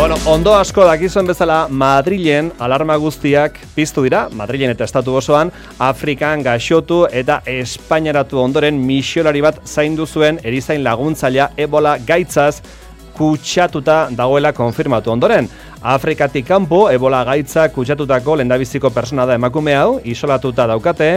Bueno, ondo asko dakizuen bezala, Madrilen alarma guztiak piztu dira, Madrilen eta estatu osoan, Afrikan gaixotu eta Espainiaratu ondoren misiolari bat zaindu zuen erizain laguntzailea Ebola gaitzaz kutsatuta dagoela konfirmatu ondoren. Afrikatik kanpo, Ebola gaitza kutsatutako lehendabiziko persona da emakume hau, isolatuta daukate,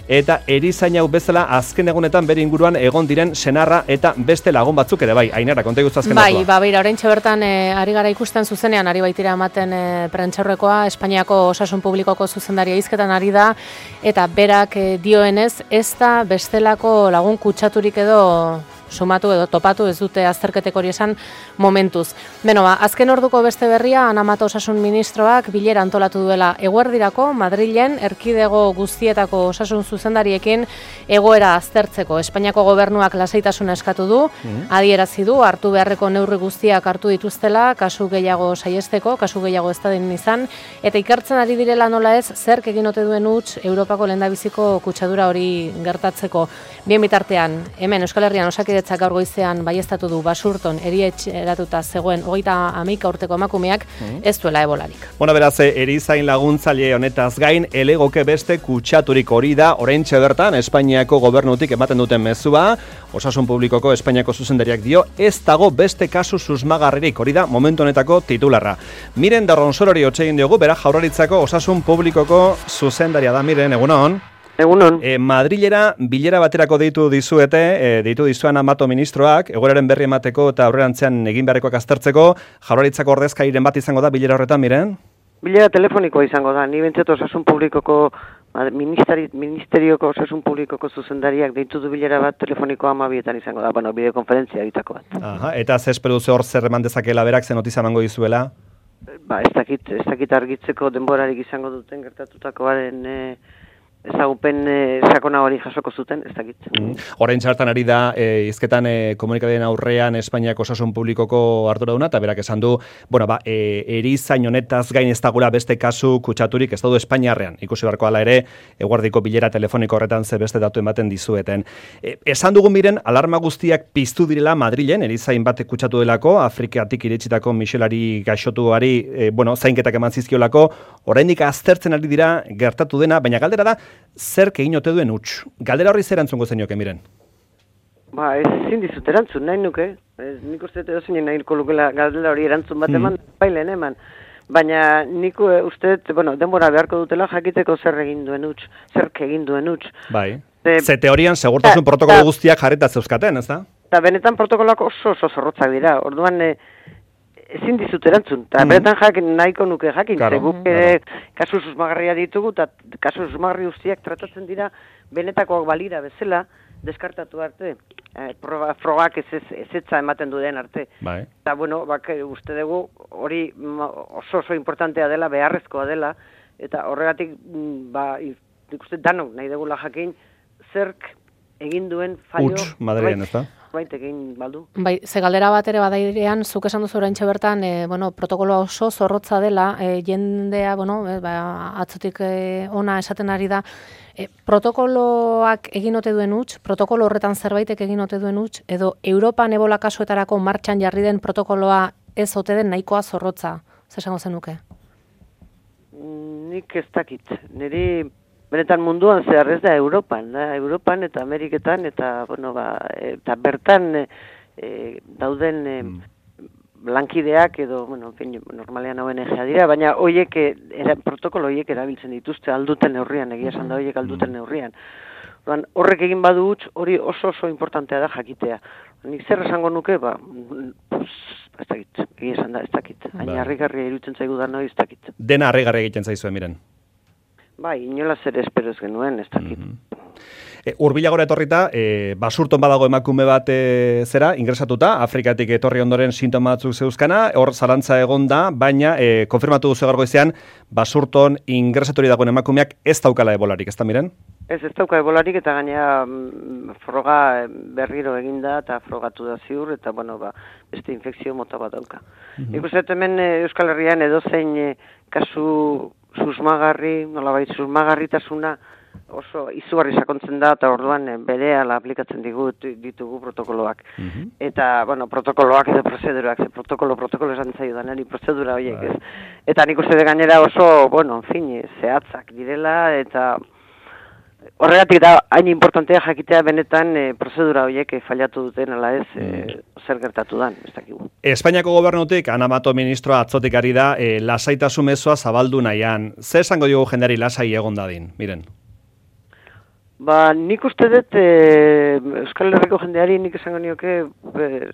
eta erizain hau bezala azken egunetan bere inguruan egon diren senarra eta beste lagun batzuk ere bai. Ainara, konta iguztu azken datua. Bai, beira, oraintxe bertan ari gara ikusten zuzenean, ari baitira ematen prentsaurrekoa, Espainiako Osasun Publikoko zuzendaria hizketan ari da, eta berak dioenez, ez da bestelako lagun kutsaturik edo sumatu edo topatu, ez dute azterketek hori esan momentuz. Beno, azken orduko beste berria, Ana Mato Osasun Ministroak bilera antolatu duela eguerdirako, Madrilen, erkidego guztietako osasun zuzendariekin egoera aztertzeko. Espainiako gobernuak lasaitasuna eskatu du, adierazi du, hartu beharreko neurri guztiak hartu dituztela, kasu gehiago saiesteko, kasu gehiago ez da den izan, eta ikertzen ari direla nola ez, zerk egin ote duen huts Europako lehendabiziko kutsadura hori gertatzeko. Bien bitartean, hemen Euskal Herrian Osakidetzak gaur goizean baieztatu du Basurton erietxeratuta zegoen 31 urteko emakumeak ez duela ebolarik. Bueno, beraz, erizain laguntzaile honetaz gain, elegoke beste kutsaturik hori da, oraintxe bertan, Espainiako gobernutik ematen duten mezua, Osasun Publikoko Espainiako zuzendariak dio, ez dago beste kasu susmagarririk, hori da momentu honetako titularra. Miren Darronsorori hotxegin diogu, bera Jaurlaritzako Osasun Publikoko zuzendaria da, Miren, egunon. Egunon. Madrilera bilera baterako deitu dizuete, deitu dizuan Mato ministroak, egoeraren berri emateko eta aurrerantzean egin beharrekoak aztertzeko, Jaurlaritzako ordezkariren bat izango da bilera horretan, Miren? Bilera telefonikoa izango da, ni bentzat Osasun Publikoko, Ministerioko Osasun Publikoko zuzendariak deitu du bilera bat telefonikoa 12etan izango da, bueno, bideokonferentzia bitako bat. Aha, eta ze espero duzu hor zer eman dezakela berak, ze notizia emango dizuela? Ez dakit argitzeko denborarik izango duten gertatutakoaren ezagupen sakona hori jasoko zuten, ez dakit. Orain txartan ari da, hizketan komunikabideen aurrean Espainiako Osasun Publikoko arduraduna, eta berak esan du, bueno, erizain honetaz gain ez dagoela beste kasu kutsaturik ez daude Espainiarrean. Ikusi beharko hala ere, eguerdiko bilera telefoniko horretan ze beste datu ematen dizueten. Esan dugun Miren, alarma guztiak piztu direla Madrilen, erizain batek kutsatu delako, Afrikatik iritsitako misiolari gaixotuari, zainketak eman zizkiolako, oraindik aztertzen ari dira gertatu dena, baina galdera da, zerk egin ote duen huts. Galdera horri zer erantzungo zenioke, Miren? Ezin dizut erantzun, nahi nuke. Nik uste edo zein nahiko lukela galdera hori erantzun bat eman, bailen eman. Baina nik uste, denbora beharko dutela jakiteko zer egin duen huts, zerk egin duen huts. Bai. Ze teorian segurtasun protokolo guztiak jarrita zeuzkaten, ez da? Eta benetan protokoloak oso zorrotzak dira. Orduan, ezin dizut erantzun, eta beretan nahiko nuke jakin, guk kasu susmagarria ditugu, eta kasu susmagarri guztiak tratatzen dira benetakoak balira bezala, deskartatu arte, frogak ezetza ematen duen arte. Eta, uste dugu hori oso importantea dela, beharrezkoa dela, eta horregatik, ikuste danok nahi dugula jakin, zerk egin duen fallo... Huts, Madrilen, ez da? Egin baldu. Bai, ze galdera bat ere badairean, zuk esan duzu oraintxe bertan, protokoloa oso zorrotza dela, jendea, atzotik ona esaten ari da, protokoloak egin ote duen huts, protokolo horretan zerbaitek egin ote duen huts, edo Europan ebola kasuetarako martxan jarri den protokoloa ez ote den nahikoa zorrotza, zer esango zenuke? Nik ez dakit, niri... Benetan munduan zehar ez da Europan eta Ameriketan eta eta bertan dauden lankideak edo normalean ONG-a dira, baina protokolo horiek erabiltzen dituzte alduten neurrian, egia esan da horiek alduten neurrian. Horrek egin badu huts, hori oso importantea da jakitea. Nik zer esango nuke, ez dakit, egia esan da, ez dakit. Hain harrigarria iruditzen zaigu da ez dakit. Dena harrigarria egiten zaizue, Miren. Bai, inola zer espero ez genuen, ez dakit. Hurbilagora etorrita, Basurton badago emakume bat ingresatuta, Afrikatik etorri ondoren sintoma batzuk zeuzkana, hor zalantza egon da, baina konfirmatu duzu gaur goizean, Basurton ingresatu dagoen emakumeak ez daukala ebolarik, ez da, Miren? Ez dauka ebolarik eta gainera froga berriro eginda eta frogatu da ziur eta beste infekzio mota bat dauka. Ikusten hemen Euskal Herrian edozein kasu susmagarri, nolabait susmagarritasuna oso izugarri sakontzen da, eta orduan berehala aplikatzen ditugu protokoloak. Eta, bueno, protokoloak edo prozedurak, protokolo esan zaio da, niri prozedura horiek ez. Eta nik uste de gainera oso, bueno, en fin, zehatzak direla, eta horregatik da, hain importantea jakitea benetan prozedura horiek fallatu duten, ala ez, zer gertatu dan, ez dakigu. Espainiako gobernutik, Ana Mato ministroa atzotik ari da, lasaitasun mezua zabaldu nahian. Zer esango diogu jendeari lasai egon dadin, miren? Nik uste dut Euskal Herriko jendeari nik esango nioke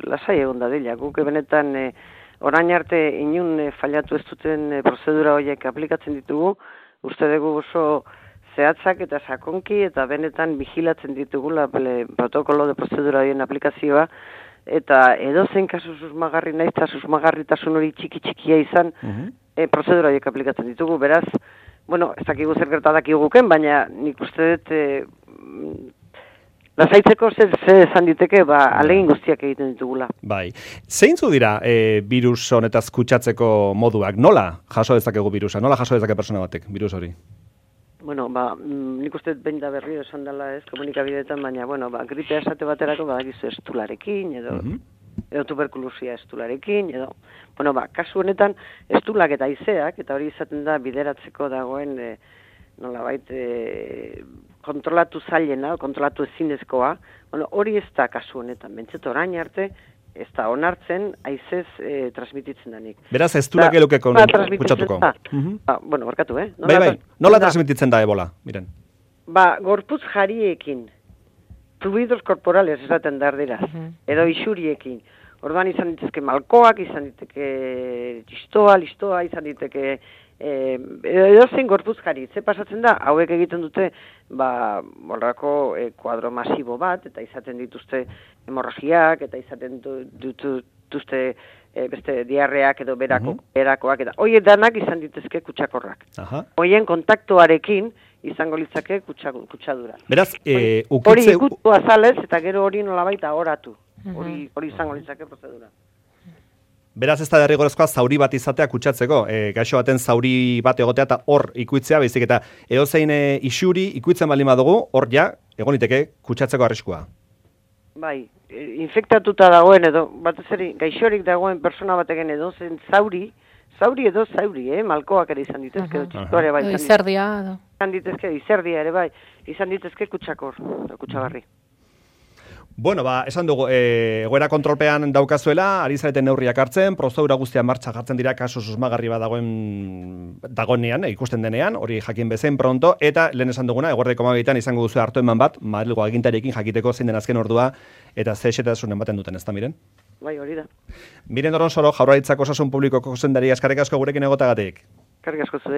lasai egon dadila. Guk benetan orain arte inun fallatu ez duten prozedura horiek aplikatzen ditugu, uste dugu oso zehatzak eta sakonki eta benetan vigilatzen ditugula protokolo de prozedura horien aplikazioa, eta edozein kasu susmagarri naiz eta susmagarritasun hori txikia izan prozedura horiek aplikatzen ditugu, beraz, bueno, ez dakigu zer gertadak iguken, baina nik uste dut lasaitzeko zer esan diteke, alegin guztiak egiten ditugula. Bai. Zeintzu dira virus honetaz kutsatzeko moduak? Nola jaso dezakegu virusa? Nola jaso dezake persona batek virus hori? Bueno, nik uste behin da berriro esan dela ez komunikabideetan, baina, bueno, gripea esate baterako badakizu estularekin, edo tuberkulosia estularekin, edo, bueno, kasu honetan estulak eta haizeak, eta hori izaten da bideratzeko dagoen, nolabait, kontrolatu zailena, kontrolatu ezinezkoa, bueno, hori ez da kasu honetan, bentset orain arte, ez da onartzen, haizez transmititzen danik. Beraz, ez du lakeluke kutsatuko. Bueno, barkatu, Bai, nola transmititzen da ebola, miren? Gorputz jariekin, fluidos corporales esaten darderaz, edo isuriekin. Orduan izan ditezke malkoak, izan diteke listoa, izan diteke edo zein gorputz jari. Ze pasatzen da, hauek egiten dute horrako kuadro masibo bat, eta izaten dituzte hemorragiak, eta izaten dituzte beste diarreak edo berakoak, eta horiek danak izan ditezke kutsakorrak. Horien kontaktuarekin izango litzake kutsadura. Beraz, hori ikutu azalez, eta gero hori nolabait ahoratu. Hori izango litzake prozedura. Beraz, ez da derrigorezkoa zauri bat izatea kutsatzeko, gaixo baten zauri bat egotea eta hor ikuitzea, baizik eta edozein isuri ikuitzen baldin badugu, hor ja, egon liteke kutsatzeko arriskua. Bai, infektatuta dagoen edo, batez ere, gaixorik dagoen persona batekin edozein zauri edo zauri, malkoak ere izan ditezke, txistoare bai. Izerdia. Izan ditezke, izerdia ere bai, izan ditezke kutsagarri. Bueno, esan dugu, egoera kontrolpean daukazuela, ari zareten neurriak hartzen, prozedura guztia martxa jartzen dira kasu susmagarri bat dagoenean, ikusten denean, hori jakin bezen pronto, eta lehen esan duguna, eguerdeko 12 izango duzu hartu eman bat, Madrilgo agintariekin jakiteko zein den azken ordua, eta ze xetasunen ematen duten, ez da, miren? Bai, hori da. Miren Doronsoro, Jaurlaritzako Osasun Publikoko zuzendaria, eskerrik asko gurekin egotagatik. Eskerrik asko zure.